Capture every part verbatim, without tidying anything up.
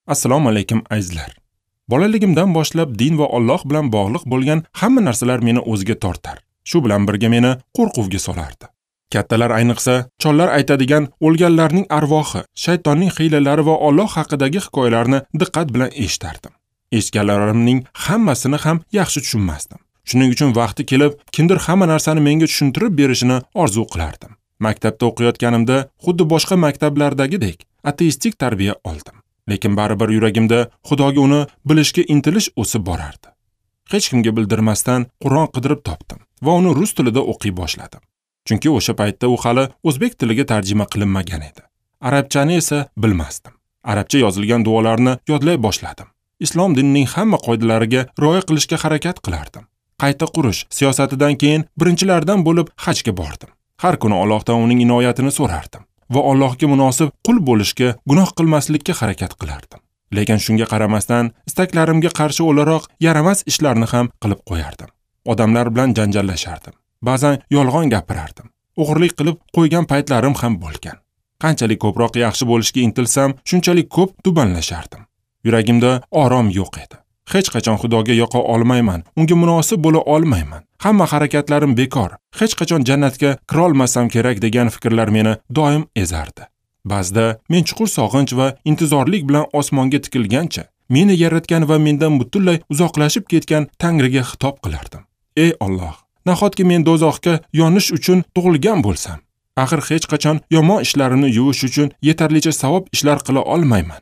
Assalomu alaykum azizlar. Bolaligimdan boshlab din va Alloh bilan bog'liq bo'lgan hamma narsalar meni o'ziga tortar. Shu bilan birga meni qo'rquvga solardi. Kattalar, ayniqsa chollar aytadigan o'lganlarning arvohi, shaytonning hiylalari va Alloh haqidagi hikoyalarni diqqat bilan eshitardim. Eshitganlarimning hammasini ham yaxshi tushunmasdim. Shuning uchun vaqti kelib kimdir hamma narsani menga tushuntirib berishini orzu qilardim. Maktabda o'qiyotganimda xuddi boshqa maktablardagidek ateistik tarbiya oldim. Lekin baribir yuragimda Xudoga uni bilishga intilish o'sib borardi. Hech kimga bildirmasdan Qur'on qidirib topdim va uni rus tilida o'qiy boshladim. Chunki o'sha paytda u hali o'zbek tiliga tarjima qilinmagan edi. Arabchani esa bilmasdim. Arabcha yozilgan duolarni yodlay boshladim. Islom dinining hamma qoidalariga rioya qilishga harakat qilardim. Qayta qurish siyosatidan keyin birinchilardan bo'lib hajga bordim. Har kuni Allohdan uning inoyatini so'rardim va Allohga munosib qul bo'lishga, gunoh qilmaslikka harakat qilardim. Lekin shunga qaramasdan istaklarimga qarshi o'laroq yaramas ishlarni ham qilib qo'yardim. Odamlar bilan janjallashardim. Ba'zan yolg'on gapirardim. O'g'irlik qilib qo'ygan paytlarim ham bo'lgan. Qanchalik ko'proq yaxshi bo'lishga intilsam, shunchalik ko'p tubanlashardim. Yuragimda orom yo'q edi. Hech qachon Xudoga yoqa olmayman, unga munosib bo'la olmayman. Hamma harakatlarim bekor. Hech qachon jannatga kira olmasam kerak degan fikrlar meni doim ezardi. Ba'zida men chuqur sog'inch va intizorlik bilan osmonga tikilgancha, meni yaratgan va mendan butunlay uzoqlashib ketgan Tangriga xitob qilardim. Ey Alloh, nahotki men do'zaxga yonish uchun tug'ilgan bo'lsam? Axir hech qachon yomon ishlarimni yuvish uchun yetarlicha savob ishlar qila olmayman.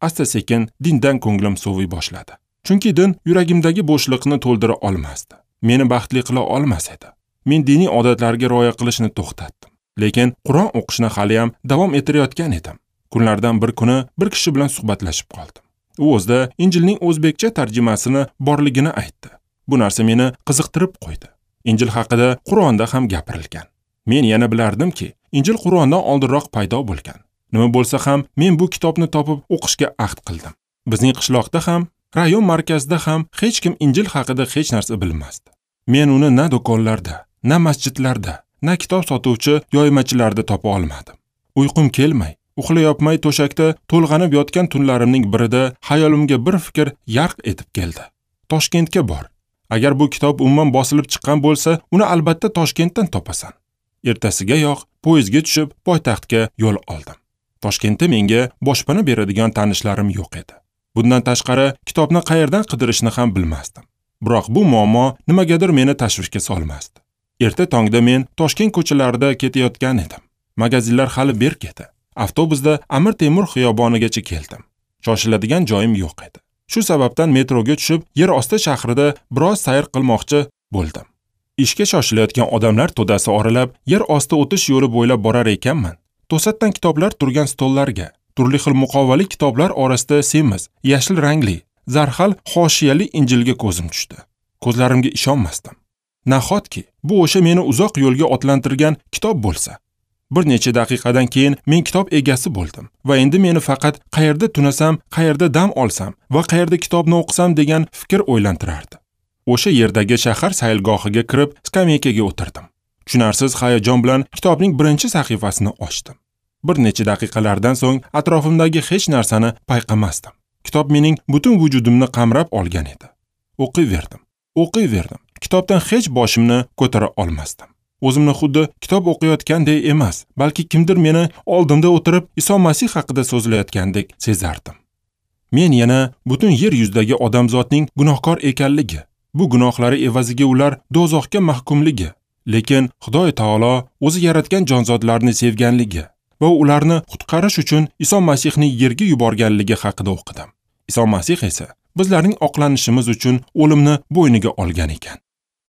Asta-sekin dindan ko'nglim soviy boshladi. Chunki din yuragimdagi bo'shliqni to'ldira olmasdi. Meni baxtli qila olmas edi. Men diniy odatlarga rioya qilishni to'xtatdim. Lekin Qur'on o'qishni hali ham davom ettirayotgan edim. Kunlardan bir kuni bir kishi bilan suhbatlashib qoldim. U o'zida Injilning o'zbekcha tarjimasini borligini aytdi. Bu narsa meni qiziqtirib qo'ydi. Injil haqida Qur'onda ham gapirilgan. Men yana bilardimki, Injil Qur'ondan oldinroq paydo bo'lgan. Nima bo'lsa ham men bu kitobni topib o'qishga ahd qildim. Bizning qishloqda ham, rayon markazida ham hech kim Injil haqida hech narsa bilmasdi. Men uni na do'konlarda, na masjidlarda, na kitob sotuvchi yoymachilarda topa olmadim. Uyqum kelmay, uxlayopmay to'shakda to'lg'anib yotgan tunlarimning birida xayolimga bir fikr yarq etib keldi. Toshkentga bor. Agar bu kitob umuman bosilib chiqqan bo'lsa, uni albatta Toshkentdan topasan. Ertasigayoq poyezdga tushib poytaxtga yo'l oldim. Toshkentda menga boshpana beradigan tanishlarim yo'q edi. Bundan tashqari kitobni qayerdan qidirishni ham bilmasdim. Biroq bu muammo nimagadir meni tashvishga solmasdi. Erta tongda men Toshkent ko'chalarida ketayotgan edim. Magazinlar hali berk edi. Avtobusda Amir Temur xiyobonigacha keldim. Shoshiladigan joyim yo'q edi. Shu sababdan metroga tushib, yer osti shahrida biroz sayr qilmoqchi bo'ldim. Ishga shoshilayotgan odamlar to'dasi oralab, yer osti o'tish yo'li bo'ylab borar ekanman. To'satdan kitoblar turgan stollarga, turli xil muqovali kitoblar orasida semiz, yashil rangli, zarhal hoshiyali Injilga ko'zim tushdi. Ko'zlarimga ishonmasdim. Nahotki bu o'sha meni uzoq yo'lga otlantirgan kitob bo'lsa? Bir necha daqiqadan keyin men kitob egasi bo'ldim va endi meni faqat qayerda tunasam, qayerda dam olsam va qayerda kitobni o'qisam degan fikr o'ylantirardi. O'sha yerdagi shahar saylgohiga kirib, skameykaga o'tirdim. Tushunarsiz hayajon bilan kitobning birinchi sahifasini ochdim. Bir necha daqiqalardan so'ng atrofimdagi hech narsani payqamasdim. Kitob mening butun vujudimni qamrab olgan edi. O'qiyverdim, o'qiyverdim. Kitobdan hech boshimni ko'tara olmasdim. O'zimni xuddi kitob o'qiyotgandek emas, balki kimdir meni oldimda o'tirib Iso Masih haqida so'zlayotgandek sezardim. Men yana butun yer yuzidagi odamzodning gunohkor ekanligi, bu gunohlari evaziga ular do'zaxga mahkumligi, lekin Xudoy taolo o'zi yaratgan jonzotlarni sevganligi va ularni qutqarish uchun Iso Masihni yerga yuborganligi haqida o'qidim. Iso Masih esa bizlarning oqlanishimiz uchun o'limni bo'yniga olgan ekan.